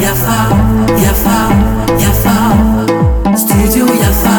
Yafa, yafa, yafa, Studio Yafa.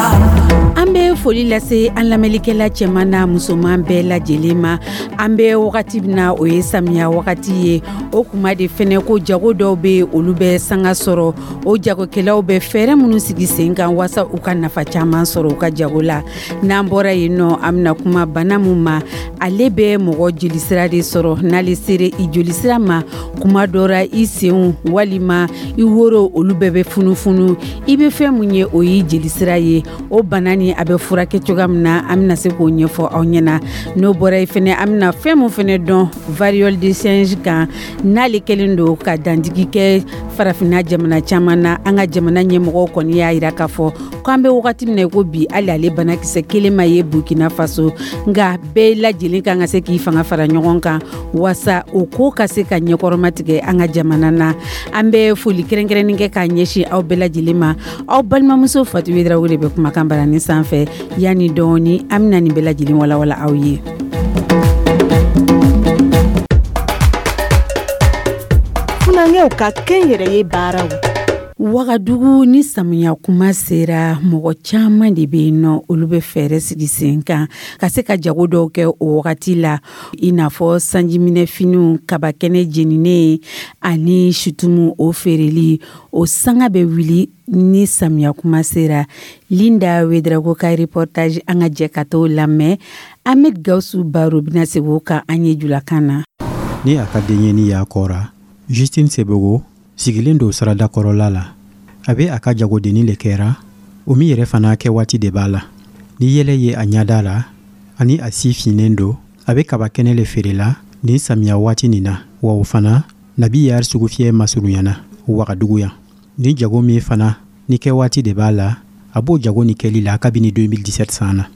An bɛ foli lase an lamɛnlikɛla cɛman n'a musoman bɛɛ lajɛlen ma. An bɛ wagati min na, o ye samiya wagati ye. O kuma de fɛnɛ ko jago dɔw bɛ, olu bɛ sanga sɔrɔ. O jagokɛlaw bɛ fɛɛrɛ minnu sigi sen kan waasa u ka nafa caman sɔrɔ u ka jago la. N'an bɔra yen nɔ, an bɛna kuma bana min ma, ale bɛ mɔgɔ jolisira de sɔrɔ. N'ale sera i jolisira ma, kuma dɔ ra, i senw walima i woro, olu bɛɛ bɛ funufunu. I bɛ fɛn mun ye, o y'i jelisira ye. O bana ni a bɛ furakɛ cogoya min na, an bɛna se k'o ɲɛfɔ aw ɲɛna. N'o bɔra yen fɛnɛ, an bɛna fɛn mun fɛnɛ dɔn variole de singe kan, n'ale kɛlen don ka dantigi kɛ Farafinna jamana caman na. An ka jamana ɲɛmɔgɔw kɔni y'a yira k'a fɔ k'an bɛ wagati min na i ko bi, hali ale banakisɛ kelen ma ye Burkina Faso. Nka bɛɛ lajɛlen kan ka se k'i fanga fara ɲɔgɔn kan waasa o ko ka se ka ɲɛkɔrɔma tigɛ an ka jamana na. An bɛ foli kɛrɛnkɛrɛnnen kɛ k'a ɲɛsin aw bɛɛ lajɛlen ma. Aw balimamuso Fatu Ouédraogo de bɛ kumakan barani sanfɛ. Yanni dɔɔni, an bɛna nin bɛɛ lajɛlen walawala aw ye. Funankɛw ka kɛnyɛrɛye baaraw. Wagadugu, ni samiya kuma sera, mɔgɔ caman de bɛ yen nɔ, olu bɛ fɛɛrɛ sigi sen kan ka se ka jago dɔw kɛ o wagati la, i n'a fɔ sanjiminɛfiniw, kabakɛnɛ jeninen ani situmu, o feereli, o sanga bɛ wuli ni samiya kuma sera. Linda Ouédraogo ka reportage, an ka jɛ ka t'o lamɛn. Ahmed Gawusu Baro bɛna segin o kan an ye julakan na. Ni a ka denɲɛni y'a kɔra, Justine Sebogo sigilen don sirada kɔrɔla la. A bɛ a ka jagodenni le kɛra, o min yɛrɛ fana kɛ waati de b'a la. Ni yɛlɛ ye a ɲɛda la ani a si finnen don, a bɛ kaba kɛnɛ le feerela nin samiya waati nin na. Wa o fana nabi yari sugufiyɛ masurunyana Wagadugu yan. Ni jago min fana ni kɛ waati de b'a la, a b'o jago ni kɛli la kabini 2017 san na.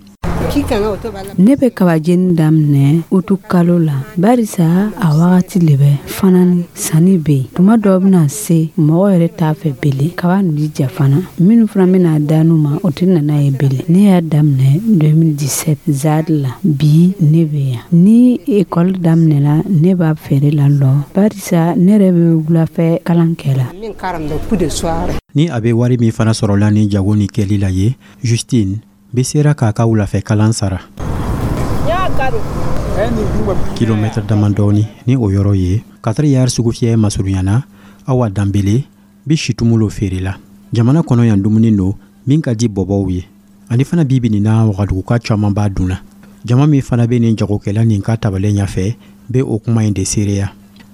Ne bɛ kabajeni daminɛ utu kalo la, barisa a wagati le bɛ fana ni sanni bɛ yen. Tuma dɔ bɛna se, mɔgɔ yɛrɛ t'a fɛ bele. Kaba nin bi ja fana, minnu fana bɛna d'anu ma, o tɛ nana ye bele. Ne y'a daminɛ 2017 ZAD la. Bi ne bɛ yan ni ekɔli daminɛla, ne b'a feere la lɔ, barisa ne yɛrɛ bɛ wulafɛ kalan kɛ la. Ni a bɛ wari min fana sɔrɔla ni jago ni kɛli la ye, Justine bɛ sera k'a ka wulafɛ kalan sara. Kilomɛtɛrɛ damadɔɔni ni o yɔrɔ ye Katari yari sugufiyɛ masurunyana, Awa Danbele bɛ situmu lo feere la. Jamana kɔnɔ yan, dumuni don min ka di bɔbɔw ye, ani fana bibi nin na, Wagaduguka caman b'a dun na. Jama min fana bɛ nin jagokɛla nin ka tabalen ɲɛfɛ bɛ o kuma in de seereya.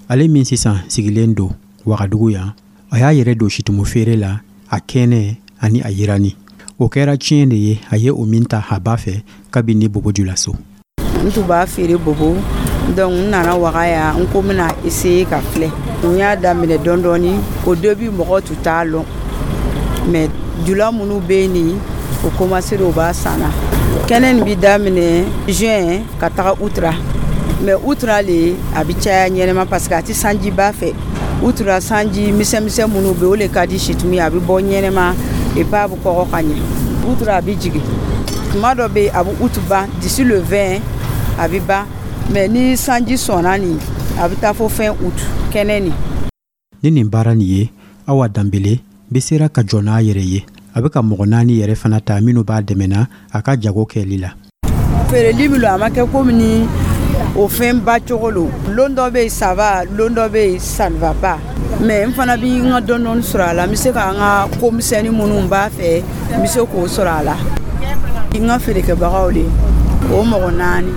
Ale min sisan sigilen don Wagadugu yan, a y'a yɛrɛ don situmu feere la, a kɛnɛ ani a yirani. O kɛra tiɲɛ de ye, a ye o min ta a ba fɛ kabini Bobo Julaso. N tun b'a feere Bobo, donc n nana Waga yan, n ko n bɛna essayer ka filɛ. N y'a daminɛ dɔɔni dɔɔni. Au début, mɔgɔ tun t'a lɔn, mais jula minnu bɛ yen nin, o commencé, o b'a san na. Kɛnɛ nin bɛ daminɛ juin ka taga août ra, mais août ra le a bɛ caya ɲɛnɛma, parce que a tɛ sanjiba fɛ. Août ra, sanji misɛnmisɛn minnu bɛ, o le ka di situmu ye, a bɛ bɔ ɲɛnɛma et puis a bɛ kɔgɔ ka ɲɛ. Août ra, a bɛ jigin. Tuma dɔ bɛ yen, a bɛ août ban, d'ici le 20 a bɛ ban, mais ni sanji sɔnna nin, a bɛ taa fo fin août kɛnɛ nin. Ni nin baara nin ye, Awa Danbele bɛ sera ka jɔ n'a yɛrɛ ye. A bɛ ka mɔgɔ naani yɛrɛ fana ta minnu b'a dɛmɛna a ka jago kɛli la. Feereli min don, a ma kɛ komi ni o fɛn ba cogo lo. Lon dɔ bɛ yen, ça va, lon dɔ bɛ yen, ça ne va pas, mais n fana bɛ n ka dɔɔni dɔɔni sɔrɔ a la. N bɛ se ka n ka ko misɛnnin minnu b'a fɛ, n bɛ se k'o sɔrɔ a la. N ka feerekɛbagaw de, o mɔgɔ naani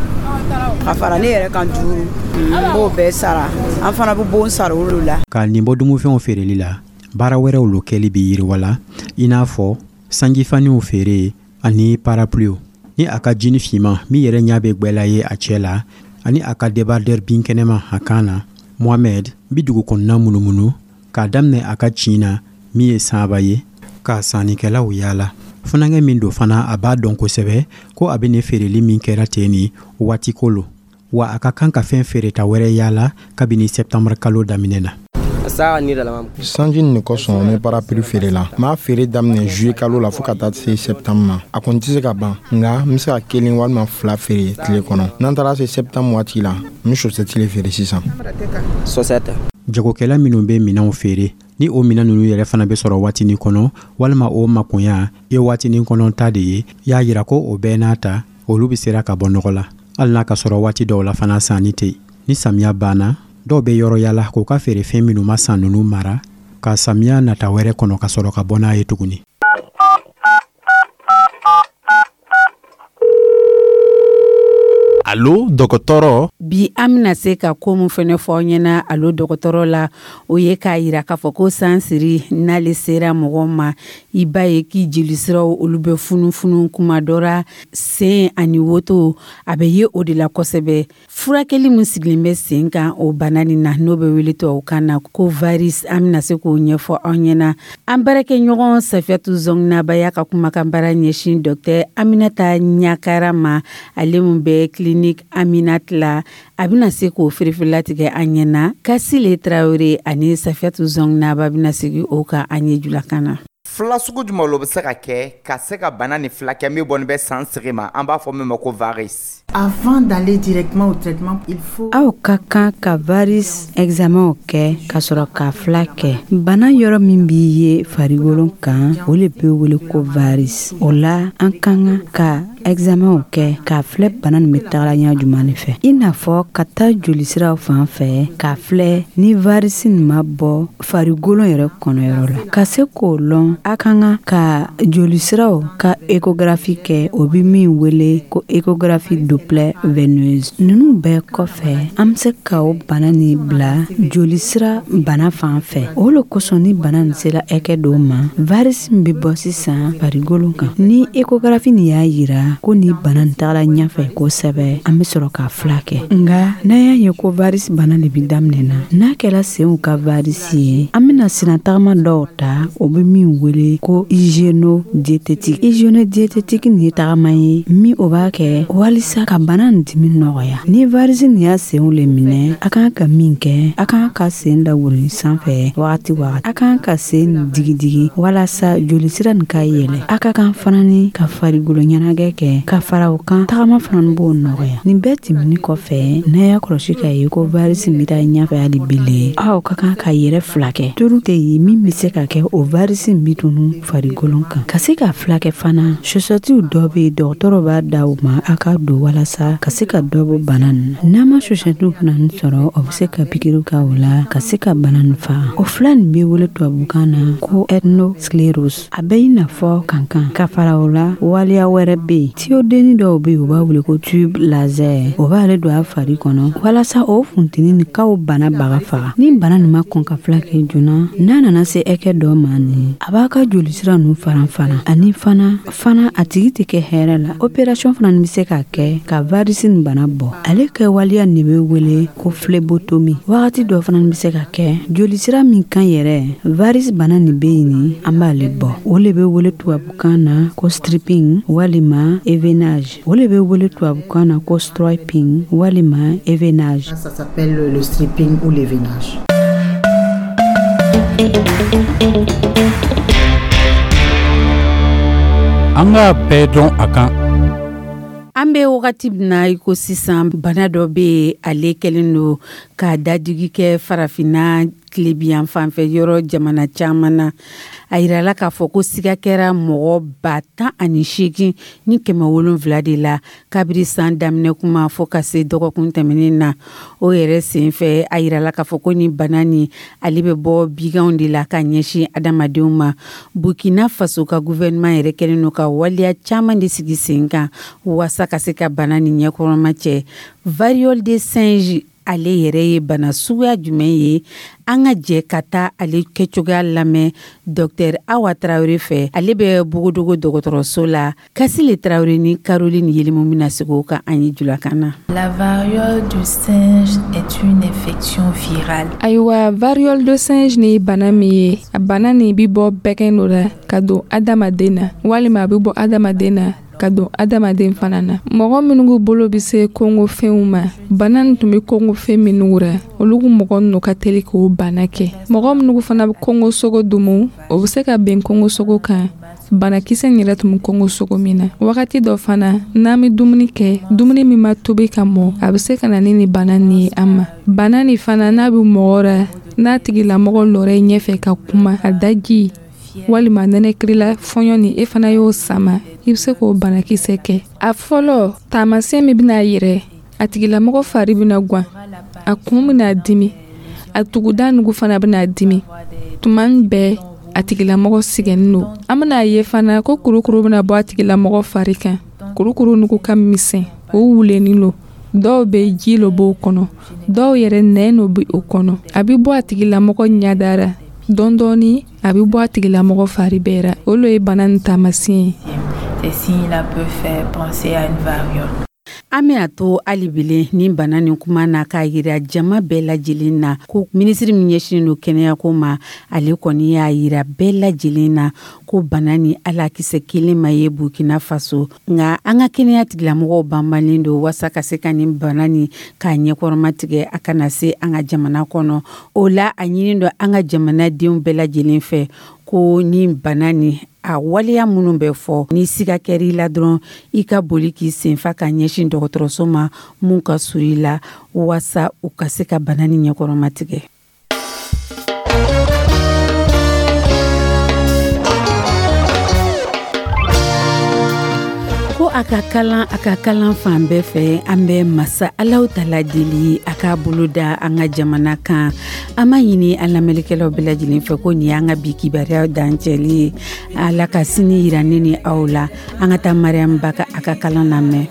ka fara ne yɛrɛ kan, duuru, n b'o bɛɛ sara. An fana bɛ bon sara olu la. Ka nin bɔ dumunifɛnw feereli la, baara wɛrɛw lo kɛli bɛ yiriwa la, i n'a fɔ sanjifaniw feere ani parapluiw. Ni a ka jini finman min yɛrɛ ɲɛ bɛ gwɛla ye a cɛ la, ani a ka débardeur binkɛnɛma a kan na, Mohamed bi dugu kɔnɔna munumunu k'a daminɛ a ka cin na min ye sanba ye, ka sannikɛlaw yaala. Funankɛ min don fana, a b'a dɔn kosɛbɛ ko a bɛ nin feereli min kɛra ten nin waati ko lo, wa a ka kan ka fɛn feereta wɛrɛ yaala kabini sɛptanburu kalo daminɛ na. Sanji nin de kosɔn n bɛ parapluie feere la. N b'a feere daminɛ juillet kalo la fo ka taa se septembre ma. A kɔni tɛ se ka ban, nka n bɛ se ka kelen walima fila feere tile kɔnɔ. N'an taara se septembre waati la, n bɛ chaussette le feere sisan. Jagokɛla minnu bɛ minɛnw feere, ni o minɛn ninnu yɛrɛ fana bɛ sɔrɔ waatinin kɔnɔ walima o makoɲa ye waatinin kɔnɔ ta de ye, y'a yira ko o bɛɛ n'a ta, olu bɛ sera ka bɔ nɔgɔ la, hali n'a ka sɔrɔ waati dɔw la fana sanni tɛ yen. Ni samiya banna, dɔw bɛ yɔrɔ yala k'u ka feerefɛn minnu ma san ninnu mara ka samiya nata wɛrɛ kɔnɔ, ka sɔrɔ ka bɔ n'a ye tuguni. Alo dɔgɔtɔrɔ. Bi an bɛna se ka ko min fɛnɛ fɔ aw ɲɛna alo dɔgɔtɔrɔ la, o ye k'a yira k'a fɔ ko sansiri n'ale sera mɔgɔ ma, i b'a ye k'i jelisiraw olu bɛ funufunu kuma dɔ ra, sen ani woto a bɛ ye o de la kosɛbɛ. Furakɛli min sigilen bɛ sen kan o bana nin na, n'o bɛ wele tubabukan na ko varice, an bɛna se k'o ɲɛfɔ aw ɲɛna. An baarakɛɲɔgɔn Safiyatu Zɔnginaba y'a ka kumakan baara ɲɛsin docteur Aminata Ɲakara ma, ale min bɛ clinique Aminata la, a bɛna se k'o firifirilatigɛ an ɲɛna. Kasile Tarawele ani Safiyatu Zɔnginaba bɛna sigi o kan an ye julakan na. Fila sugu jumɛn lo bɛ se ka kɛ ka se ka bana ni fila kɛ min bɔnin bɛ san sigi ma, an b'a fɔ min ma ko varice. Avant d'aller directement au traitement, il faut Aw ka kan ka varice examen kɛ ka sɔrɔ ka fila kɛ. Bana yɔrɔ min b'i ye farikolo kan, o le bɛ wele ko varice. O la an ka kan ka examen kɛ k'a filɛ bana nin bɛ tagala ɲɛ jumɛn de fɛ, i n'a fɔ ka taa jolisiraw fan fɛ k'a filɛ ni varice nin ma bɔ farikolo yɛrɛ kɔnɔyɔrɔ la. Ka se k'o lɔn, a ka kan ka jolisiraw ka échographie kɛ, o bɛ min wele ko échographie Doppler veineuse. Ninnu bɛɛ kɔfɛ, an bɛ se ka o bana nin bila jolisira bana fan fɛ. O le kosɔn ni bana nin sera hakɛ dɔw ma, varice min bɛ bɔ sisan farikolo kan, ni échographie nin y'a yira ko ni bana nin tagala ɲɛfɛ kosɛbɛ, an bɛ sɔrɔ k'a fila kɛ. Nka n'an y'a ye ko varice bana de bɛ daminɛ na, n'a kɛra senw ka varice ye, an bɛna sennatagama dɔw ta, o bɛ min wele ko hygiéno-diététique. Hygiéno-diététique nin ye tagama ye min o b'a kɛ walisa ka bana nin dimi nɔgɔya. Ni varice nin y'a senw le minɛ, a kan ka min kɛ, a kan ka sen lawuli sanfɛ wagati wagati, a kan ka sen digidigi walasa jolisira nin ka yɛlɛ. A ka kan fana ni ka farikolo ɲɛnajɛ kɛ ka fara o kan, tagama fana b'o nɔgɔya. Nin bɛɛ tɛmɛni kɔfɛ, n'a y'a kɔlɔsi k'a ye ko varice bɛ taa ɲɛfɛ hali bele, aw ka kan ka yɛrɛ fila kɛ. Turu tɛ yen min bɛ se ka kɛ o varice bɛ tunu farikolo kan. Ka se ka fila kɛ fana, chaussette dɔ bɛ yen, dɔgɔtɔrɔ b'a da o ma a ka don walasa ka se ka dɔ bɔ bana nin na. N'a ma chaussette fana sɔrɔ, o bɛ se ka pikiri kɛ o la ka se ka bana nin faga. O fila nin bɛ wele tubabukan na ko ethnosclérose. A bɛ i n'a fɔ kankan. Ka fara o la, waleya wɛrɛ bɛ yen, tiyodenni dɔw bɛ yen, u b'a wele ko tube laser. O b'ale don a fari kɔnɔ walasa o funteni nin k'o bana baga faga. Ni bana nin ma kɔn ka fila kɛ joona, n'a nana se hakɛ dɔ ma nin, a b'a ka jolisira ninnu faran fana, ani fana fana a tigi tɛ kɛ hɛrɛ la. Opération fana bɛ se ka kɛ ka varice nin bana bɔ. Ale kɛ waleya nin bɛ wele ko phlébotomie. Wagati dɔ fana bɛ se ka kɛ jolisira min kan yɛrɛ varice bana nin bɛ yen nin, an b'ale bɔ. O le bɛ wele tubabukan na ko stripping walima éveinage. O le bɛ wele tubabukan na ko stripping walima éveinage. Ça s'appelle le stripping ou l'éveinage. An k'a bɛɛ dɔn a kan. An bɛ wagati min na i ko sisan, bana dɔ bɛ yen, ale kɛlen don ka dadigi kɛ farafinna tilebiyan fanfɛ yɔrɔ jamana caman na. A yirala k'a fɔ ko siga kɛra mɔgɔ 18,700 de la kabiri san daminɛ kuma fo ka se dɔgɔkun tɛmɛnen na. O yɛrɛ senfɛ, a yirala k'a fɔ ko ni bana nin ale bɛ bɔ biganw de la ka ɲɛsin adamadenw ma. Burkina Faso ka gouvernement yɛrɛ kɛlen don ka waleya caman de sigi sen kan waasa ka se ka bana nin ɲɛkɔrɔma cɛ. Variole de singe ale yɛrɛ ye bana suguya jumɛn ye? An ka jɛ ka taa ale kɛcogoya lamɛn Dr Awa Tarawele fɛ, ale bɛ Bogodogo dɔgɔtɔrɔso la. Kasile Tarawele ni Caroline Yelimu bɛna sigi o kan an ye julakan na. La variole du singe est une infection virale. Ayiwa, variole de singe ni ye bana min ye, a bana nin bi bɔ bɛgɛn dɔ la ka don adamaden na, walima a bɛ bɔ adamaden na Ka don adamaden fana na. Mɔgɔ minnu bolo bɛ se kongofɛnw ma, bana nin tun bɛ kongofɛn minnu ra, olu mɔgɔ ninnu ka teli k'o bana kɛ. Mɔgɔ minnu fana bɛ kongosogo dumu, o bɛ se ka ben kongosogo kan, banakisɛ in yɛrɛ tun bɛ kongosogo min na. Wagati dɔ fana, n'an bɛ dumuni kɛ, dumuni min ma tobi ka mɔ, a bɛ se ka na ni nin bana nin ye an ma. Bana nin fana, n'a bɛ mɔgɔ ra, n'a tigilamɔgɔ lɔra i ɲɛfɛ ka kuma, a daji walima nɛnɛkirila fɔɲɔ ni e fana y'o sama, i bɛ se k'o banakisɛ kɛ. A fɔlɔ taamasiyɛn min bɛna yɛrɛ, a tigilamɔgɔ fari bɛna gwan, a kun bɛna dimi, a tuguda nugu fana bɛna dimi. Tuma bɛɛ a tigilamɔgɔ sɛgɛnnen don. An bɛna ye fana ko kurukuru bɛna bɔ a tigilamɔgɔ fari kan. Kurukuru nugu ka misɛn, o wulenin don. Dɔw bɛ ji lo b'o kɔnɔ, dɔw yɛrɛ nɛn lo bɛ o kɔnɔ. A bɛ bɔ a tigilamɔgɔ ɲɛda ra dɔɔni dɔɔni, a bɛ bɔ a tigilamɔgɔ fari bɛɛ ra. O lo ye bana nin taamasiyɛn ye. Ces signes-là peuvent faire penser à une variole. An bɛna to hali bilen ni bana nin kuma na, k'a yira jama bɛɛ lajɛlen na ko minisiri min ɲɛsinnen don kɛnɛyako ma, ale kɔni y'a yira bɛɛ lajɛlen na ko bana ni alakisɛ kelen ma ye Burkina Faso. Nka an ka kɛnɛya tigilamɔgɔw banbalen don waasa ka se ka nin bana nin k'a ɲɛkɔrɔma tigɛ, a kana se an ka jamana kɔnɔ. O la, a ɲini don an ka jamanadenw bɛɛ lajɛlen fɛ ko ni bana nin a waleya minnu bɛ fɔ, ni siga kɛra i la dɔrɔn, i ka boli k'i senfa ka ɲɛsin dɔgɔtɔrɔso ma mun ka surun i la, waasa u ka se ka bana ni ɲɛkɔrɔma tigɛ. Ko a ka kalan, a ka kalan fan bɛɛ fɛ. An bɛ masa Alahu Tala deli a k'a bolo da an ka jamana kan. An b'a ɲini an lamɛnnikɛlaw bɛɛ lajɛlen fɛ ko nin y'an ka bi kibaruya dancɛli ye. Ala ka sini yira ne ni aw la. An ka taa Mariam Ba ka a ka kalan lamɛn.